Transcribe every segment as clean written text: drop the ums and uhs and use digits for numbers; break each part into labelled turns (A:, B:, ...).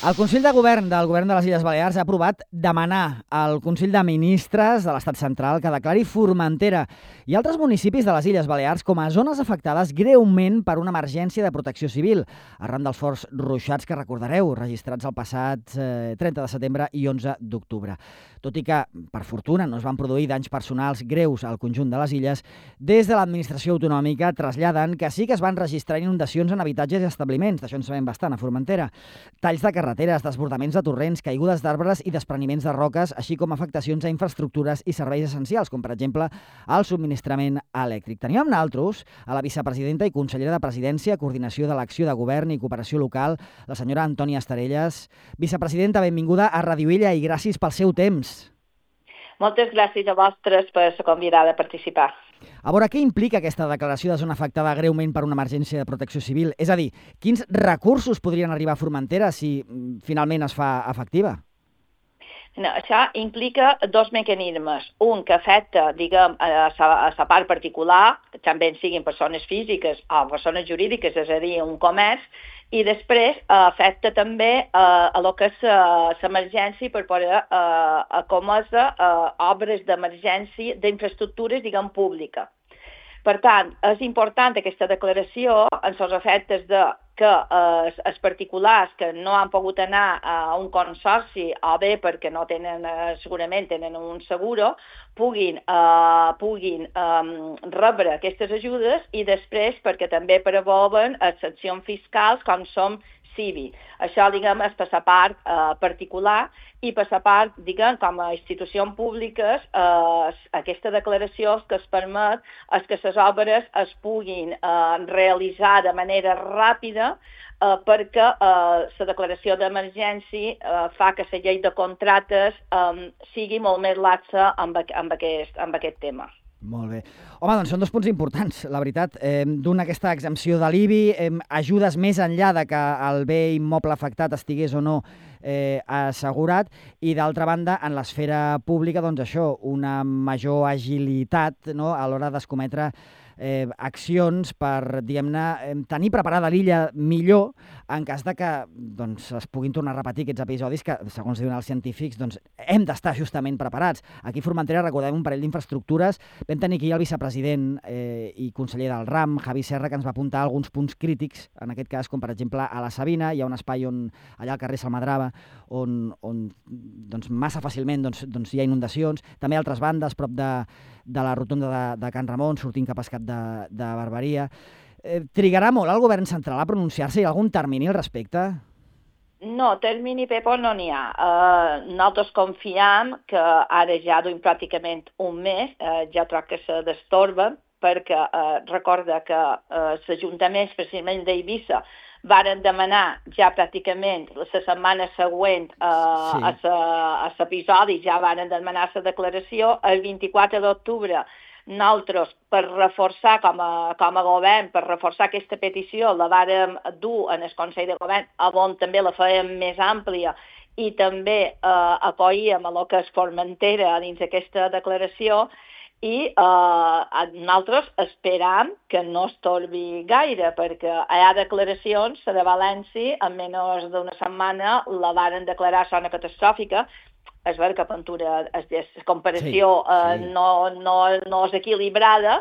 A: El Consell de Govern del Govern de les Illes Balears ha aprovat demanar al Consell de Ministres de l'Estat Central que declari Formentera i altres municipis de les Illes Balears com a zones afectades greument per una emergència de protecció civil, arran dels forts ruixats que recordareu, registrats el passat 30 de setembre i 11 d'octubre. Tot i que, per fortuna, no es van produir danys personals greus al conjunt de les illes, des de l'administració autonòmica traslladen que sí que es van registrar inundacions en habitatges i establiments, d'això en sabem bastant a Formentera, talls de carreteres, desbordaments de torrents, caigudes d'arbres i despreniments de roques, així com afectacions a infraestructures i serveis essencials, com per exemple el subministrament elèctric. Tenim amb nosaltres a la vicepresidenta i consellera de Presidència, Coordinació de l'Acció de Govern i Cooperació Local, la senyora Antònia Estarelles. Vicepresidenta, benvinguda a Ràdio Illa i gràcies pel seu temps.
B: Moltes gràcies a vosaltres per ser convidada a participar.
A: A veure, què implica aquesta declaració de zona afectada greument per una emergència de protecció civil? És a dir, quins recursos podrien arribar a Formentera si finalment es fa efectiva?
B: No, això implica dos mecanismes. Un que afecta, diguem, a la part particular, que també siguin persones físiques o persones jurídiques, és a dir, un comerç, i després afecta també a lo que és l'emergència per poder acometre obres d'emergència d'infraestructures, diguem, públiques. Per tant, és important aquesta declaració en els efectes de que els particulars que no han pogut anar a un consorci o bé perquè no tenen, segurament tenen un seguro, puguin rebre aquestes ajudes i després perquè també preveuen excepcions fiscals com som CIVI. Això, diguem, és per la part particular i per la part, diguem, com a institucions públiques, aquesta declaració que es permet és que les obres es puguin realitzar de manera ràpida perquè la declaració d'emergència fa que la llei de contractes sigui molt més laxa amb aquest tema.
A: Molt bé. Home, doncs són dos punts importants, la veritat. D'una, aquesta exempció de l'IBI, ajudes més enllà de que el bé immoble afectat estigués o no assegurat, i d'altra banda, en l'esfera pública, doncs això, una major agilitat, no?, a l'hora d'escometre accions per, diguem-ne, tenir preparada l'illa millor en cas de que doncs, es puguin tornar a repetir aquests episodis que, segons diuen els científics, doncs, hem d'estar justament preparats. Aquí a Formentera recordem un parell d'infraestructures. Vam tenir aquí el vicepresident i conseller del RAM, Javi Serra, que ens va apuntar alguns punts crítics, en aquest cas, com per exemple a la Sabina, hi ha un espai allà al carrer Salmadrava on doncs, massa fàcilment hi ha inundacions. També a altres bandes, prop de la rotonda de Can Ramon, sortint cap a Escat de Barberia. Trigarà molt el govern central a pronunciar-se? Hi ha algun termini al respecte?
B: No, termini, Pepo, no n'hi ha. Nosaltres confiem que ara ja duim pràcticament un mes, ja troc que se destorben, perquè recorda que els ajuntaments, precisament d'Eivissa, varen demanar ja pràcticament la setmana següent a l'episodi, ja varen demanar la declaració. El 24 d'octubre nosaltres, per reforçar com a govern, per reforçar aquesta petició, la vàrem dur en el Consell de Govern, on també la fèiem més àmplia i també acollíem a lo que és Formentera dins d'aquesta declaració, i nosaltres esperam que no es torbi gaire, perquè hi ha declaracions de València, en menys d'una setmana la varen declarar zona catastròfica. És vera que Ventura, la comparació no és equilibrada,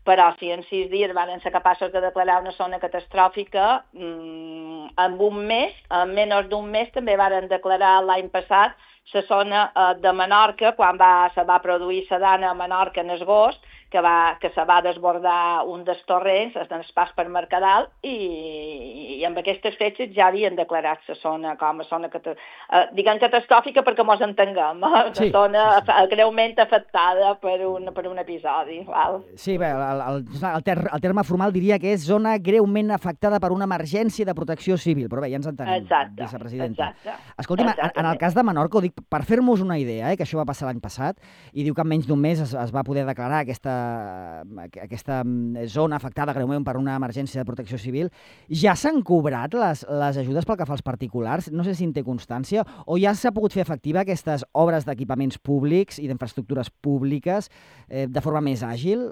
B: però si en 6 dies van ser capaços de declarar una zona catastròfica, en un mes, en menys d'un mes, també van declarar l'any passat la zona de Menorca, quan se va produir la dana a Menorca en agost, que se va desbordar un dels torrents, en el pas per Mercadal, i amb aquestes fetges ja havien declarat la zona com a zona catastròfica perquè mos entenguem, una zona greument afectada per un episodi. Val?
A: Sí, bé, el terme formal diria que és zona greument afectada per una emergència de protecció civil, però bé, ja ens entenem, vicepresidenta. Escolti'm, en el cas de Menorca, ho dic per fer-nos una idea, que això va passar l'any passat, i diu que en menys d'un mes es va poder declarar aquesta zona afectada greument per una emergència de protecció civil. Ja s'han cobrat les ajudes pel que fa als particulars? No sé si en té constància, o ja s'ha pogut fer efectiva aquestes obres d'equipaments públics i d'infraestructures públiques de forma més àgil?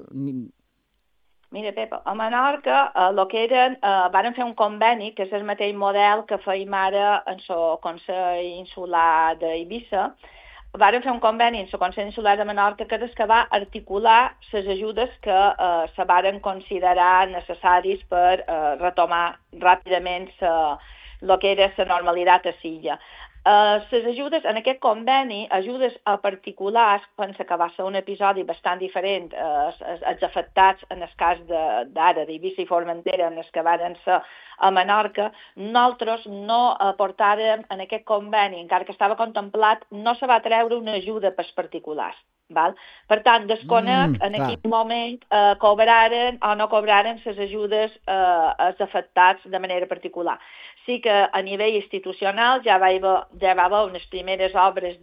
B: Mira, Pep, a Menorca varen fer un conveni, que és el mateix model que feim ara en el Consell Insular d'Eivissa. Varen fer un conveni en el Consell Insular de Menorca que és que va articular les ajudes que se varen considerar necessaris per retomar ràpidament el que era la normalitat a l'illa. Les ajudes, en aquest conveni, ajudes a particulars, pensa que va ser un episodi bastant diferent, els afectats en el cas d'ara, d'Eivissa i Formentera, en els que varen ser a Menorca, nosaltres no aportàrem en aquest conveni, encara que estava contemplat, no se va treure una ajuda pels particulars. Val? Per tant, desconec en quin moment cobraren o no cobraren les ajudes als afectats de manera particular. Sí que a nivell institucional ja va haver unes primeres obres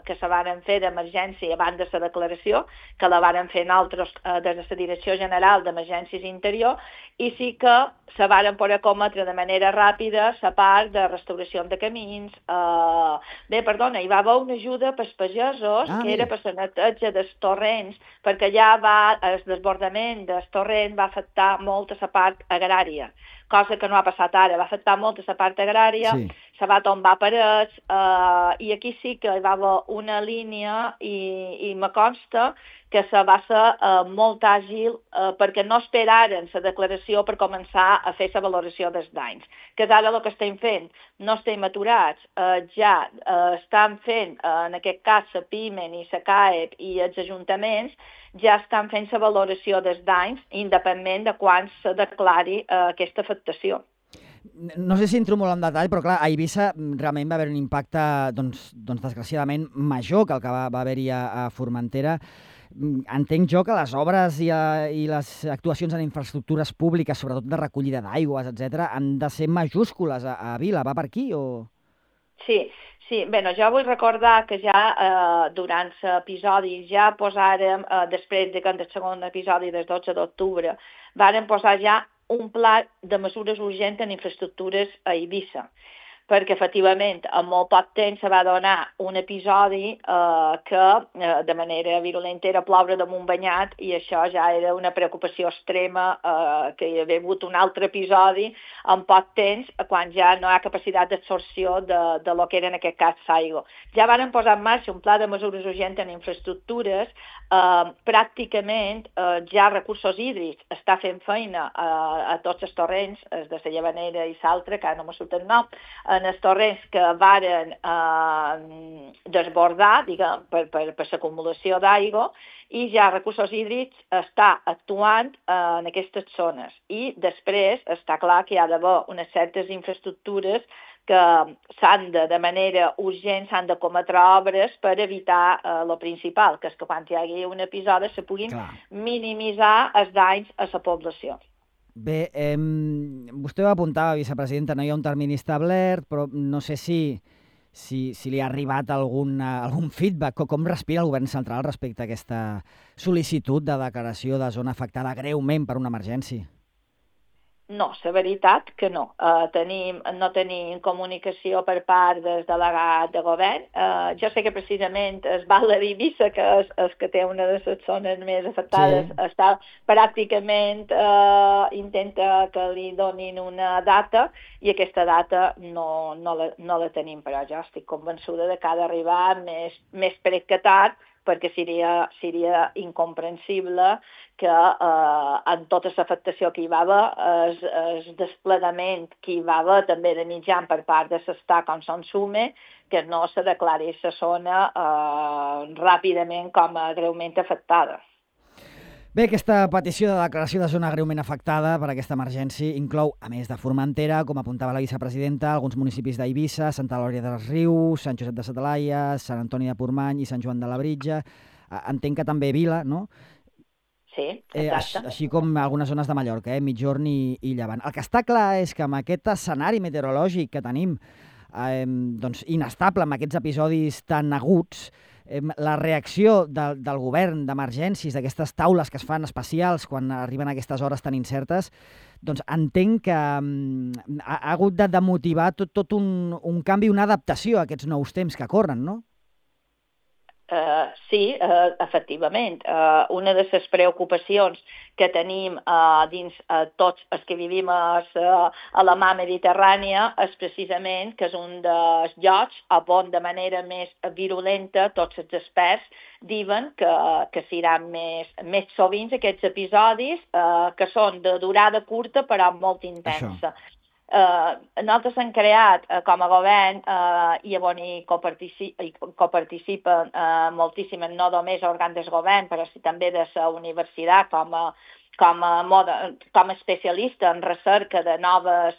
B: que se varen fer d'emergència abans de la declaració, que la varen fer nosaltres des de la Direcció General d'Emergències Interior, i sí que se varen poder cometre de manera ràpida la part de restauració de camins. Hi va haver una ajuda pels pagesos, que era per la neteja dels torrents, perquè ja el desbordament del torrent va afectar molt a la part agrària, cosa que no ha passat ara, va afectar molt a la part agrària, se va tombar parets, i aquí sí que hi va haver una línia i me consta que se va ser molt àgil perquè no esperaren la declaració per començar a fer la valoració dels danys. Que és ara el que estem fent. No estem aturats, ja estan fent, en aquest cas, la PIMEN i la CAEP i els ajuntaments, ja estan fent la valoració dels danys, independentment de quan se declari aquesta afectació.
A: No sé si entro molt en detall, però clar, a Eivissa realment va haver un impacte, desgraciadament, major que el que va haver-hi a Formentera. Entenc jo que les obres i les actuacions en infraestructures públiques, sobretot de recollida d'aigües, etc., han de ser majúscules a Vila. Va per aquí o...? Sí. Bé, jo vull recordar que ja durant l'episodi ja posàrem, després del segon episodi del 12 d'octubre, vàrem posar ja un pla de mesures urgents en infraestructures a Eivissa, perquè efectivament en molt poc temps se va donar un episodi que de manera virulenta era ploure damunt banyat, i això ja era una preocupació extrema, que hi havia hagut un altre episodi en poc temps, quan ja no hi ha capacitat d'absorció de lo que era en aquest cas l'aigua. Ja van posar en marxa un pla de mesures urgents en infraestructures, pràcticament ja Recursos Hídrics està fent feina a tots els torrents, els de la Llevanera i l'altre, que ara no me surt el nom, en els torrents que varen desbordar, diguem, per l'acumulació d'aigua, i ja Recursos Hídrics està actuant en aquestes zones. I després està clar que hi ha d'haver unes certes infraestructures que de manera urgent s'han de cometre obres per evitar el principal, que és que quan hi hagi un episodi se puguin minimitzar els danys a la població. Bé, vostè ho apuntava, vicepresidenta, no hi ha un termini establert, però no sé si li ha arribat algun feedback, com respira el govern central respecte a aquesta sol·licitud de declaració de zona afectada greument per una emergència. No, la veritat que no. No tenim comunicació per part del delegat de govern. Jo sé que precisament el Val d'Eivissa, que és el que té una de les zones més afectades, està pràcticament intenta que li donin una data, i aquesta data no la tenim, però jo estic convençuda de que ha d'arribar més pret que tard, perquè seria incomprensible que en tota l'afectació que hi va haver, el desplegament que hi va haver també de mitjan per part de l'Estat com són SUME, que no se declari la zona ràpidament com a greument afectada. Bé, aquesta petició de declaració de zona greument afectada per aquesta emergència inclou, a més de Formentera, com apuntava la vicepresidenta, alguns municipis d'Eivissa, Santa Eulàlia dels Rius, Sant Josep de sa Talaia, Sant Antoni de Portmany i Sant Joan de Labritja. Entenc que també Vila, no? Sí, exacte. Així com algunes zones de Mallorca, Migjorn i Llevant. El que està clar és que amb aquest escenari meteorològic que tenim, inestable, amb aquests episodis tan aguts, la reacció del govern d'emergències, d'aquestes taules que es fan especials quan arriben a aquestes hores tan incertes, doncs entenc que ha hagut de motivar tot un canvi, una adaptació a aquests nous temps que corren, no?
B: Sí, efectivament. Una de les preocupacions que tenim dins tots els que vivim a la mar Mediterrània és precisament que és un dels llocs on de manera més virulenta tots els experts diuen que seran més sovint aquests episodis que són de durada curta però molt intensa. Això. Nosaltres hem creat com a govern i on hi coparticipen moltíssimament, no només òrgans del govern, però també de la universitat com a especialista en recerca de noves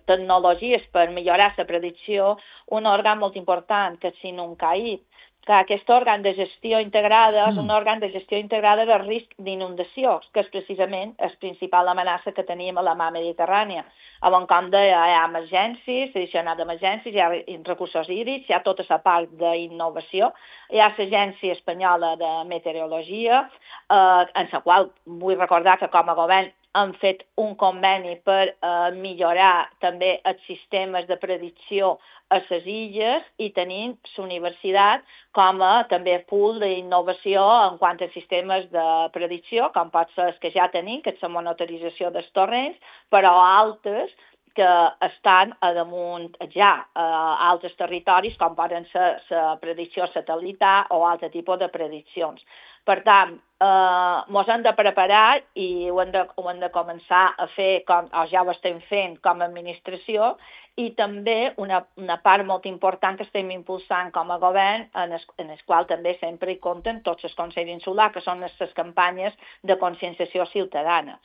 B: tecnologies per millorar la predicció, un òrgan molt important que és SINUNCAIP, que aquest òrgan de gestió integrada és un òrgan de gestió integrada de risc d'inundació, que és precisament la principal amenaça que tenim a la mar Mediterrània. On, com deia, hi ha emergències, addicionat d'emergències, hi ha recursos hídrics, hi ha tota la part d'innovació, hi ha l'Agència Espanyola de Meteorologia, en la qual vull recordar que com a govern han fet un conveni per millorar també els sistemes de predicció a les illes i tenint la universitat com a també pool d'innovació en quant a sistemes de predicció, com pot ser els que ja tenim, que és la monitorització dels torrents, però altres que estan a damunt ja a altres territoris, com poden ser la predicció satelital o altre tipus de prediccions. Per tant, ens hem de preparar i ho hem de començar a fer, o ja ho estem fent com a administració, i també una part molt important que estem impulsant com a govern, en el qual també sempre hi compten tots els consells insulars, que són les campanyes de conscienciació ciutadana.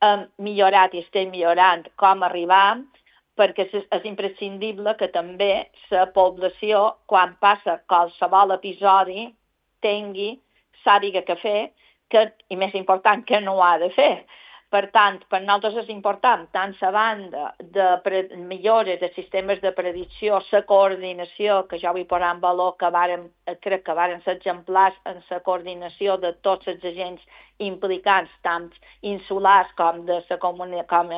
B: Hem millorat i estem millorant com arribar, perquè és imprescindible que també la població, quan passa qualsevol episodi, sàpiga què fer, i més important, què no ha de fer. Per tant, per nosaltres és important, tant la banda de millores de sistemes de predicció, la coordinació, que jo vull posar en valor, crec que varen ser exemplars en la coordinació de tots els agents implicats, tant insulars com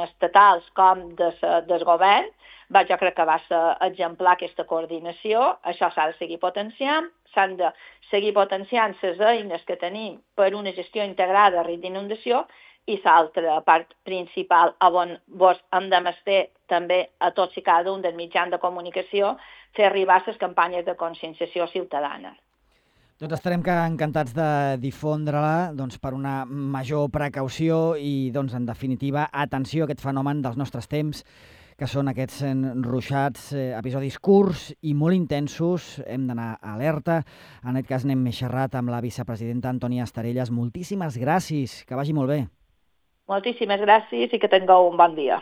B: estatals com del govern. Jo crec que va ser exemplar aquesta coordinació, això s'ha de seguir potenciant, s'han de seguir potenciant les eines que tenim per una gestió integrada de risc d'inundació, i l'altra part principal on hem de mestre també a tots i cada un dels mitjans de comunicació fer arribar les campanyes de conscienciació ciutadana.
A: Doncs estarem encantats de difondre-la per una major precaució i, en definitiva, atenció a aquest fenomen dels nostres temps, que són aquests ruixats, episodis curts i molt intensos. Hem d'anar alerta. En aquest cas n'hem xerrat amb la vicepresidenta Antònia Estarellas. Moltíssimes gràcies, que vagi molt bé.
B: Moltíssimes gràcies i que tingueu un bon dia.